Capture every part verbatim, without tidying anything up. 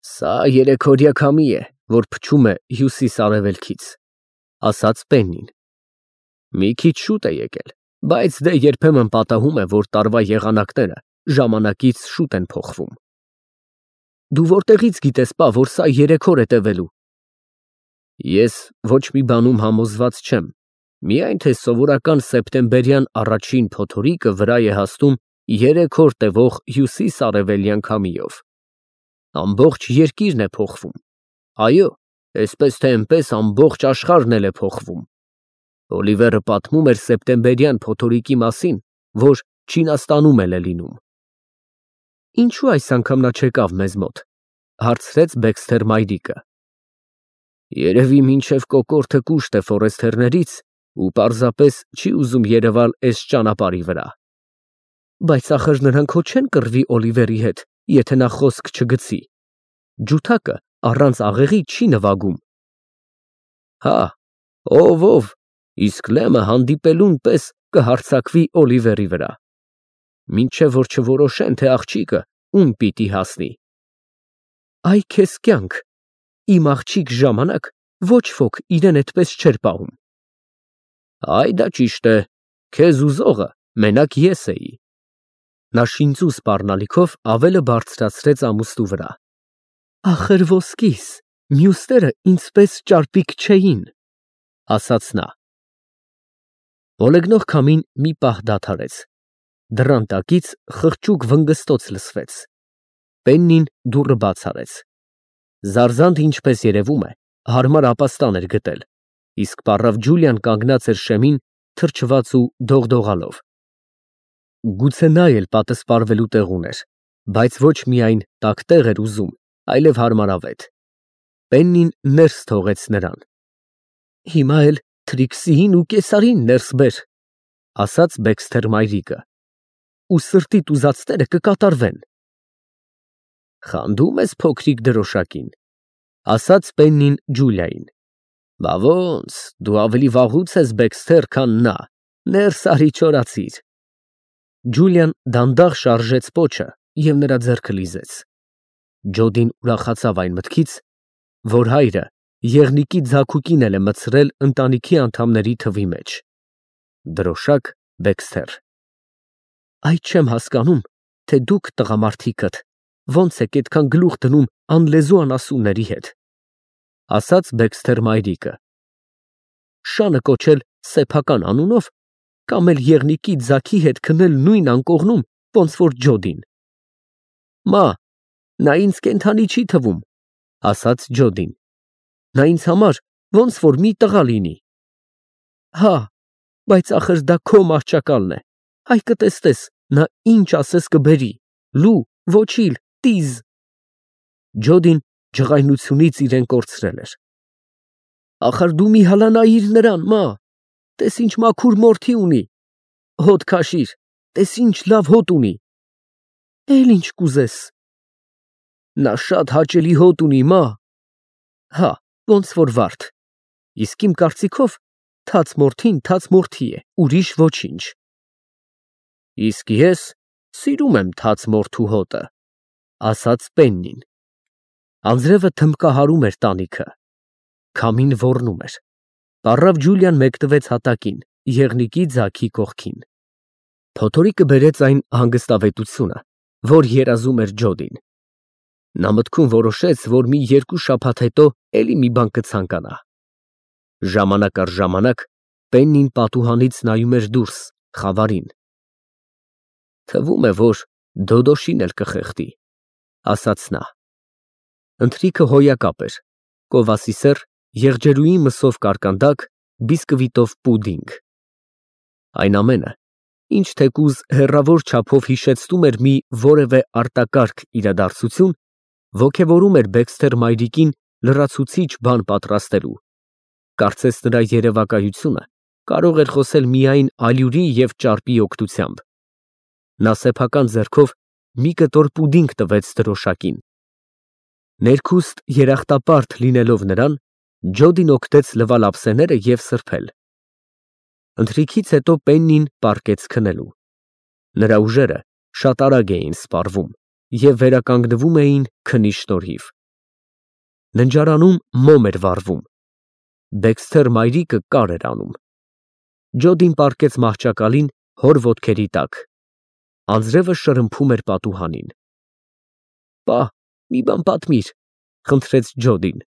Սա երեքօրյա քամի է, որ փչում է հյուսիս֊արևելքից, ասաց Պեննին։ Մի քիչ շուտ է եկել, բայց դե երբեմն պատահում է, որ տարվա եղանակները ժամանակից շուտ են փոխվում։ Դու որտեղից գիտես, պա, որ սա երեք օր է տևելու։ Ես ոչ մի բանում համոզված չեմ, միայն թե սովորական սեպտեմբերյան առաջին փոթորիկը վրա է հասնում երեք օր տևող հյուսիս֊արևելյան քամիով։ Ամբողջ երկիրն է փոխվում։ Այո, այսպես թե այնպես ամբողջ աշխարհն էլ է փոխվում։ Օլիվերը պատմում էր սեպտեմբերյան փոթորիկի մասին, որ Չինաստանում էլ է լինում։ Ինչու այս անգամ նա չեկավ մեզ մոտ, հարցրեց Բեքսթեր մայրիկը։ Երևի մինչև կոկորդը կուշտ է Ֆորեսթերներից ու պարզապես չի ուզում երևալ այս ճանապարհի վրա։ Բայց ախր նրանք հո չեն կռվի Օլիվերի հետ, եթե նա խոսք չգցի։ Ջութակը առանց աղեղի չի նվագում։ Հա, ով ով, իսկ Լեմը հանդիպելուն պես կհարձակվի Օլիվերի վրա։ Մինչև որ չորոշեն, թե աղջիկը ում պիտի հասնի։ Այ քեզ կյանք, իմ աղջիկ ժամանակ ոչ ոք իրեն այդպես չէր պահում։ Այ դա ճիշտ է, քեզ ուզողը մենակ ես էի։ Նա շինծու սպառնալիքով ավելը բարձրացրեց ամուստու վրա։ Ախր ոսկիս, մյուսները ինձպես ճարպիկ չէին, ասաց նա։ Ոլեգնող քամին մի պահ դադարեց։ Դռան տակից խղճուկ վնգստոց լսվեց։ Պեննին դուռը բաց արեց։ Զարզանդ ինչպես երևում է, հարմար ապաստան էր գտել, իսկ պառավ Ջուլիան կանգնած էր շեմին, թրջված ու դողդողալով։ Գուցե նա էլ պատսպարվելու տեղ ուներ, բայց ոչ միայն տաք տեղ էր ուզում, այլև հարմարավետ։ Պեննին ներս թողեց նրան։ Հիմա էլ Թրիքսիին ու կեսարին ներս բեր, ասաց Բեքսթեր մայրիկը, ու սրտիդ ուզածները կկատարվեն։ Խանդում ես փոքրիկ դրոշակին, ասաց Պեննին Ջուլիային։ Բա ոնց, դու ավելի վաղուց ես Բեքսթեր, քան նա, ներս արի չորացիր։ Ջուլիան դանդաղ շարժեց պոչը և նրա ձեռքը լիզեց։ Ջոդին ուրախացավ այն մտքից, որ հայրը եղնիկի ձագուկին էլ է մտցրել ընտանիքի անդամների թվի մեջ։ Դրոշակ Բեքսթեր։ Այդ չեմ հասկանում, թե դուք տղամարդիկդ ոնց եք այդքան գլուխ դնում անլեզու անասունների հետ, ասաց Բեքսթեր մայրիկը։ Շանը կոչել սեփական անունով կամ էլ եղնիկի ձագի հետ քնել նույն անկողնում, ոնց որ Ջոդին։ Մա, նա ինձ կենդանի չի թվում, ասաց Ջոդին։ Նա ինձ համար ոնց որ մի տղա լինի։ Հա, բայց ախր դա քո մահճակալն է, հայ կտեսնես, նա ինչ ասես կբերի, լու, ոչիլ, տիզ։ Ջոդին ջղայնությունից իրեն կորցրել էր։ Ախր դու մի հալա նայիր նրան, մա, տես ինչ մաքուր մորթի ունի, հոտ քաշիր, տես ինչ լավ հոտ ունի։ Էլ ինչ կուզես։ Նա շատ հաճելի հոտ ունի, մա։ Հա, ոնց որ վարդ, իսկ իմ կարծիքով թաց մորթին թաց մորթի է, ուրիշ ոչինչ։ Իսկ ես սիրում եմ թաց մորթու հոտը, ասաց Պեննին։ Անձրևը թմբկահարում էր տանիքը։ Քամին ոռնում էր։ Պառավ Ջուլիան մեկնվեց հատակին, եղնիկի ձագի կողքին։ Փոթորիկը բերեց այն հանգստավետությունը, որ երազում էր Ջոդին։ Նա մտքում որոշեց, որ մի երկու շաբաթ հետո էլի մի բան կցանկանա։ Ժամանակ առ ժամանակ Պեննին պատուհանից նայում էր դուրս, խավարին։ Թվում է, որ Դոդոշին էլ կխեղդի, ասաց նա։ Ընթրիքը հոյակապ էր, կովասիսեր, եղջերուի մսով կարկանդակ, բիսկվիտով պուդինգ։ Այն ամենը, ինչ թեկուզ հեռավոր չափով հիշեցնում էր մի որևէ արտակարգ իրադարձություն, ոգևորում էր Բեքսթեր մայրիկին լրացուցիչ բան պատրաստելու։ Կարծես նրա երևակայությունը կարող էր խոսել միայն ալյուրի և ճարպի օգնությամբ։ Նա սեփական ձեռքով մի կտոր պուդինգ տվեց դրոշակին։ Ներքուստ երախտապարտ լինելով նրան, Ջոդին օգտեց լվալ ափսեները և սրբել։ Ընթրիքից հետո Պեննին պառկեց քնելու։ Նրա ուժերը շատ արագ էին սպառվում և վերականգնվում էին քնի շնորհիվ։ Ննջարանում մոմ էր վառվում։ Դեքսթեր մայրիկը կար էր անում։ Ջոդին պառկեց մահճակալին հոր ոտքերի տակ։ Անձրևը շրմփում էր պատուհանին։ «Պա, մի բան պատմիր», խնդրեց Ջոդին։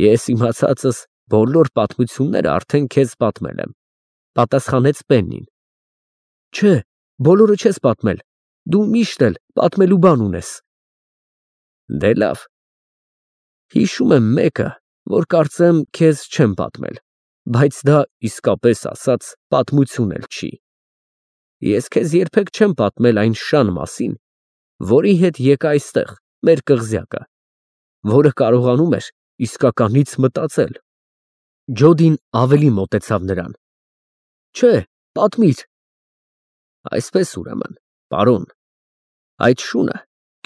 «Ես իմացածս բոլոր պատմությունները արդեն քեզ պատմել եմ», պատասխանեց Պեննին։ «Չէ, բոլորը չես պատմել, դու միշտ էլ պատմելու բան ունես»։ «Դե լավ, հիշում եմ մեկը, որ կարծեմ քեզ չեմ պատմել, բայց դա իսկապես ասած պատմություն էլ չի։ Ես քեզ երբեք չեմ պատմել այն շան մասին, որի հետ եկա այստեղ, մեր կղզյակը, որը կարողանում էր իսկականից մտածել»։ Ջոդին ավելի մոտեցավ նրան։ «Չէ, պատմիր»։ «Այսպես ուրեմն, պարոն, այդ շունը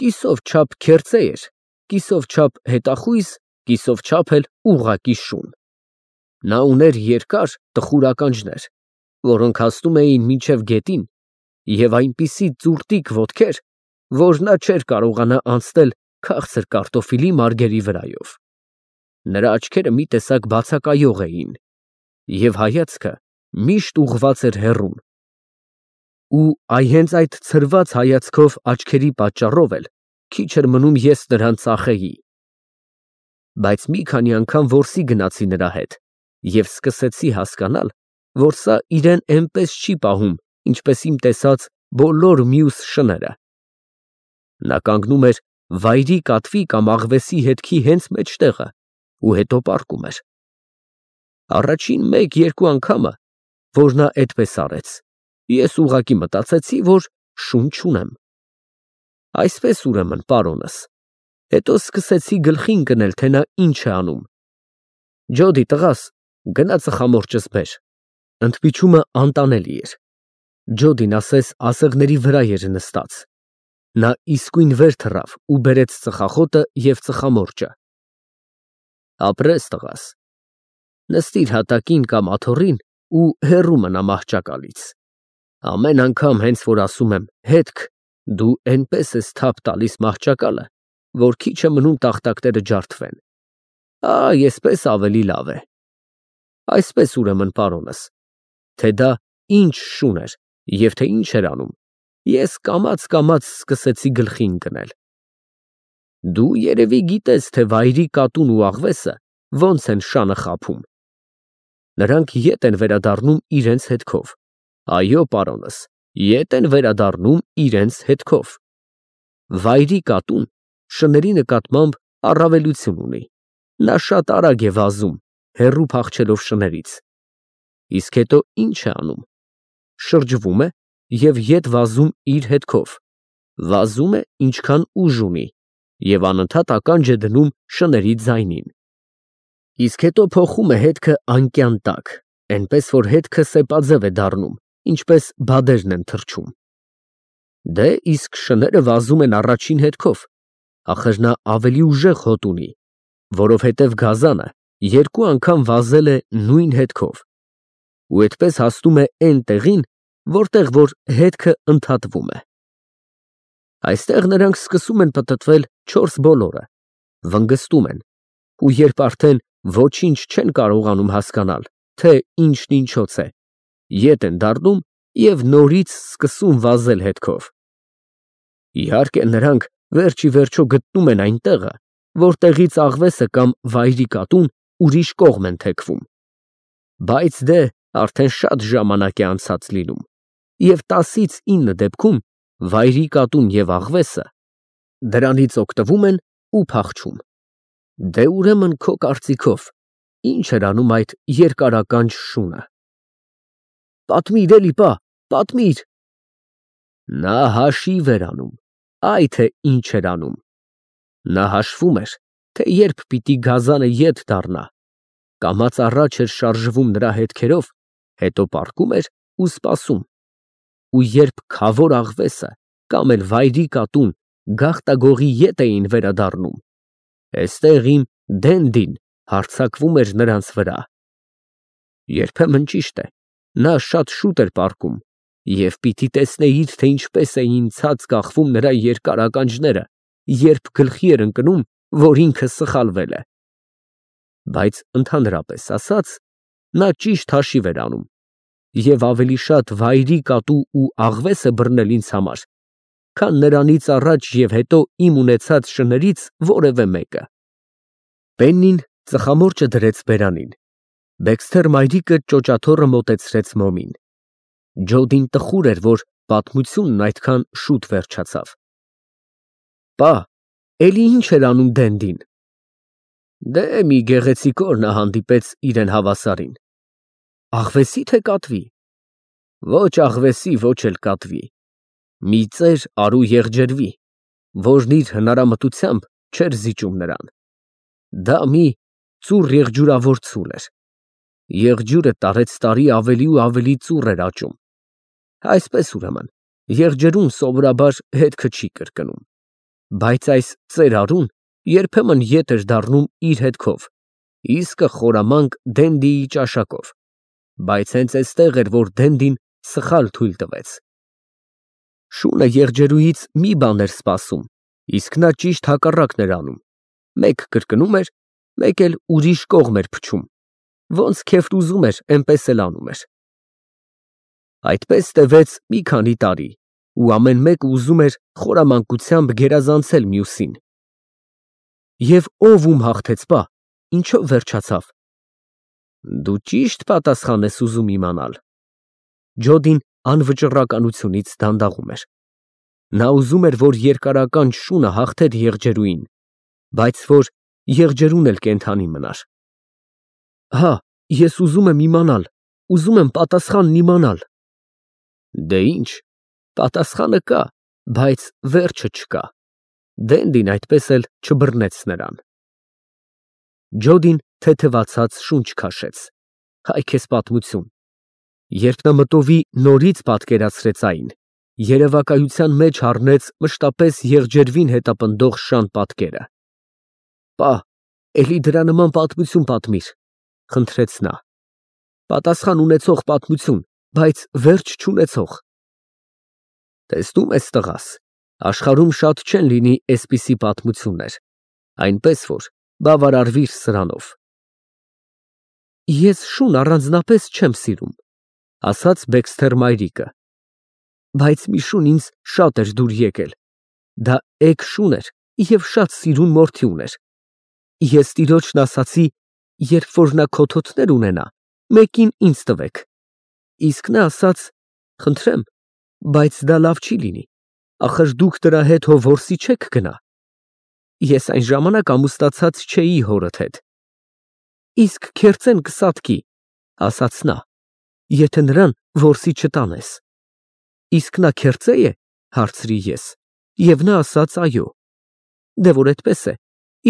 կիսով չափ քերծե էր, կիսով չափ հետախույզ, կիսով չափ էլ ուղղակի շուն։ Նա ուներ երկար տխուր ականջներ, որոնք հասնում էին մինչև գետին, և այնպիսի ծուռտիկ ոտքեր, որ նա չէր կարողանա անցնել քաղցր կարտոֆիլի մարգերի վրայով։ Նրա աչքերը մի տեսակ բացակայող էին, և հայացքը միշտ ուղղված էր հեռուն։ Ու այ հենց այդ ցրված հայացքով աչքերի պատճառով էլ քիչ էր մնում ես նրան ծախեի։ Բայց մի քանի անգամ որսի գնացի նրա հետ և սկսեցի հասկանալ, որ սա իրեն էնպես չի պահում, ինչպես իմ տեսած բոլոր մյուս շները։ Նա կանգնում էր վայրի կատվի կամ աղվեսի հետքի հենց մեջտեղը ու հետո պառկում էր։ Առաջին մեկ֊երկու անգամը, որ նա այդպես արեց, ես ուղղակի մտածեցի, որ շուն չունեմ։ Այսպես ուրեմն, պարոնս, հետո սկսեցի գլխի ընկնել, թե նա ինչ է անում։ Ջոդի տղաս, գնա ծխամորճս բեր։ Ընդմիջումը անտանելի էր։ Ջոդին ասես ասեղների վրա էր նստած։ Նա իսկույն վեր թռավ ու բերեց ծխախոտը և ծխամորճը։ Ապրես, տղաս, նստիր հատակին կամ աթոռին ու հեռու մնա մահճակալից։ Ամեն անգամ հենց որ ասում եմ հետք, դու էնպես ես թափ տալիս մահճակալը, որ քիչ է մնում տախտակները ջարդվեն։ Այ էսպես ավելի լավ է։ Այսպես ուրեմն, պարոնս, թե դա ինչ շուն էր և թե ինչ էր անում, ես կամաց֊կամաց սկսեցի գլխի ընկնել։ Դու երևի գիտես, թե վայրի կատուն ու աղվեսը ոնց են շանը խաբում։ Նրանք ետ են վերադառնում իրենց հետքով։ Այո, պարոնս, ետ են վերադառնում իրենց հետքով։ Վայրի կատուն շների նկատմամբ առավելություն ունի։ Նա շատ արագ է վազում, հեռու փախչելով շներից։ Իսկ հետո ինչ է անում։ Շրջվում է և ետ վազում իր հետքով։ Վազում է, ինչքան ուժ ունի, և անընդհատ ականջ է դնում շների ձայնին։ Իսկ հետո փոխում է հետքը անկյան տակ, էնպես որ հետքը սեպաձև է դառնում, ինչպես բադերն են թռչում։ Դե, իսկ շները վազում են առաջին հետքով, ախր նա ավելի ուժեղ հոտ ունի, որովհետև գազանը երկու անգամ վազել է նույն հետքով, ու այդպես հասնում է էն տեղին, որտեղ որ հետքը ընդհատվում է։ Այստեղ նրանք սկսում են պտտվել չորս բոլորը, վնգստում են, ու երբ արդեն ոչինչ չեն կարողանում հասկանալ, թե ինչն ինչոց է, ետ են դառնում և նորից սկսում վազել հետքով։ Իհարկե, նրանք վերջ ի վերջո գտնում են այն տեղը, որտեղից աղվեսը կամ վայրի կատուն ուրիշ կողմ են թեքվում։ Բայց դե, արդեն շատ ժամանակ է անցած լինում, և տասից ինը դեպքում վայրի կատուն և աղվեսը դրանից օգտվում են ու փախչում։ Դե, ուրեմն, քո կարծիքով, ի՞նչ էր անում այդ երկարականջ շունը։ Պատմիր էլի, պա, պատմիր։ Նա հաշիվ էր անում, այ թե ինչ էր անում։ Նա հաշվում էր, թե երբ պիտի գազանը ետ դառնա, կամաց առաջ էր շարժվում նրա հետքերով, հետո պառկում էր ու սպասում։ Ու երբ քավոր աղվեսը կամ էլ վայրի կատուն գաղտագողի ետ էին վերադառնում, էստեղ իմ Դենդին հարձակվում էր նրանց վրա։ Երբեմն, ճիշտ է, նա շատ շուտ էր պառկում, և պիտի տեսնեիր, թե ինչպես էին ցած կախվում նրա երկար ականջները, երբ գլխի էր ընկնում, որ ինքը սխալվել է։ Բայց ընդհանրապես ասած, նա ճիշտ հաշիվ էր անում և ավելի շատ վայրի կատու ու աղվես է բռնել ինձ համար, քան նրանից առաջ և հետո իմ ունեցած շներից որևէ մեկը։ Պեննին ծխամորճը դրեց բերանին, Բեքսթեր մայրիկը ճոճաթոռը մոտեցրեց մոմին։ Ջոդին տխուր էր, որ պատմությունն այդքան շուտ վերջացավ։ Պա, էլի ինչ էր անում Դենդին։ Դե մի գեղեցիկ օր նա հանդիպեց իրեն հավասարին։ Աղվեսի թե կատվի։ Ոչ աղվեսի, ոչ էլ կատվի։ Մի ծեր արու եղջերվի, որն իր հնարամտությամբ չէր զիջում նրան։ Դա մի ծուռ եղջյուրավոր ցուլ էր։ Եղջյուրը տարեցտարի ավելի ու ավելի ծուռ էր աճում։ Այսպես ուրեմն, եղջերուն սովորաբար հետքը չի կրկնում, բայց այս ծեր արուն երբեմն ետ էր դառնում իր հետքով, իսկը խորամանկ Դենդիի ճաշակով, բայց հենց էստեղ էր, որ Դենդին սխալ թույլ տվեց։ Շունը եղջերուից մի բան էր սպասում, իսկ նա ճիշտ հակառակն էր անում, մեկ կրկնում էր, մեկ էլ ուրիշ կողմ էր փչում, ոնց քեֆն ուզում էր, էնպես էլ անում էր։ Այդպես տևեց մի քանի տարի, ու ամեն մեկը ուզում էր խորամանկությամբ գերազանցել մյուսին։ Եվ ով ում հաղթեց, պա, ինչով վերջացավ։ Դու ճիշտ պատասխան ես ուզում իմանալ։ Ջոդին անվճռականությունից դանդաղում էր։ Նա ուզում էր, որ երկարական շունը հաղթեր եղջերուին, բայց որ եղջերուն էլ կենդանի մնար։ Հա, ես ուզում եմ իմանալ, ուզում եմ պատասխանն իմանալ։ Դե ինչ, պատասխանը կա, բայց վերջը չկա։ Դենդին այդպես էլ չբռնեց նրան։ Ջոդին թեթևացած շունչ քաշեց։ Հայ քեզ պատմություն։ Երբ նա մտովի նորից պատկերացրեց այն, երևակայության մեջ առնեց մշտապես եղջերվին հետապնդող շան պատկերը։ Պա, էլի դրա նման պատմություն պատմիր, խնդրեց նա։ Պատասխան ունեցող պատմություն, բայց վերջ չունեցող։ Տեսնում ես, տղաս, աշխարհում շատ չեն լինի էսպիսի պատմություններ, այնպես որ բավարարվիր սրանով։ Ես շուն առանձնապես չեմ սիրում, ասաց Բեքսթեր մայրիկը, բայց մի շուն ինձ շատ էր դուր եկել, դա էգ շուն էր և շատ սիրուն մորթի ուներ։ Ես տիրոջն ասացի, երբ որ նա քոթոթներ ունենա, մեկին ինձ տվեք, իսկ նա ասաց, խնդրեմ, բայց դա լավ չի լինի, ախր դուք դրա հետ հո որսի չեք գնա։ Ես այն ժամանակ ամուսնացած չէի հորդ հետ։ Իսկ քերծեն կսատկի, ասաց նա, եթե նրան որսի չտանես։ Իսկ նա քերծե է, հարցրի ես, և նա ասաց այո։ Դե որ այդպես է,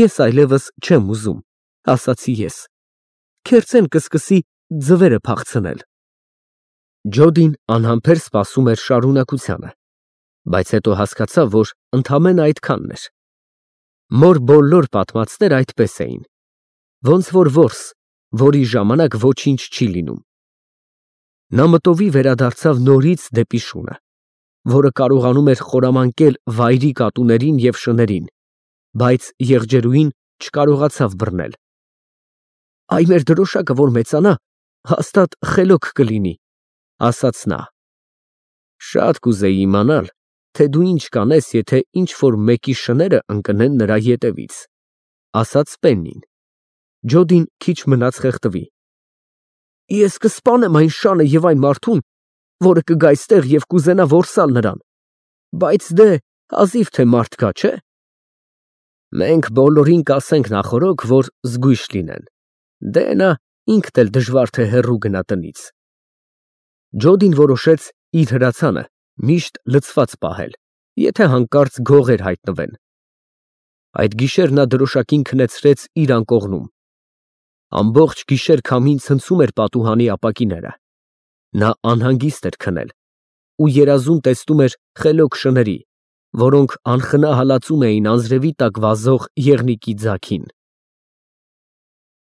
ես այլևս չեմ ուզում, ասացի ես։ Քերծեն կսկսի ձվերը փախցնել։ Ջոդին անհամբեր սպասում էր շարունակությանը, բայց հետո հասկացավ, որ ընդամենը այդքանն էր։ Մոր բոլոր պատմածները այդպես էին, ոնց որ որս, որի ժամանակ ոչինչ չի լինում։ Նա մտովի վերադարձավ նորից դեպի շունը, որը կարողանում էր խորամանկել վայրի կատուներին և շներին, բայց եղջերուին չկարողացավ բռնել։ Այ մեր դրոշակը որ մեծանա, հաստատ խելոք կլինի, ասաց նա։ Շատ կուզեի իմանալ, թե դու ինչ կանես, եթե ինչ-որ մեկի շները ընկնեն նրա ետևից, ասաց Պեննին։ Ջոդին քիչ մնաց խեղդվի։ Ես կսպանեմ այն շանը և այն մարդուն, որը կգա այստեղ և կուզենա որսալ նրան, բայց դե հազիվ թե մարդ կա, չէ։ Մենք բոլորին կասենք նախօրոք, որ զգույշ լինեն, դե նա ինքն էլ դժվար թե հեռու գնա տնից։ Ջոդին որոշեց իր հրացանը միշտ լցված պահել, եթե հանկարծ գողեր հայտնվեն։ Այդ գիշեր նա դրոշակին քնեցրեց իր անկողնում։ Ամբողջ գիշեր քամին ցնցում էր պատուհանի ապակիները։ Նա անհանգիստ էր քնել ու երազում տեսնում էր խելոք շների, որոնք անխնա հալածում էին անձրևի տակ վազող եղնիկի ձագին։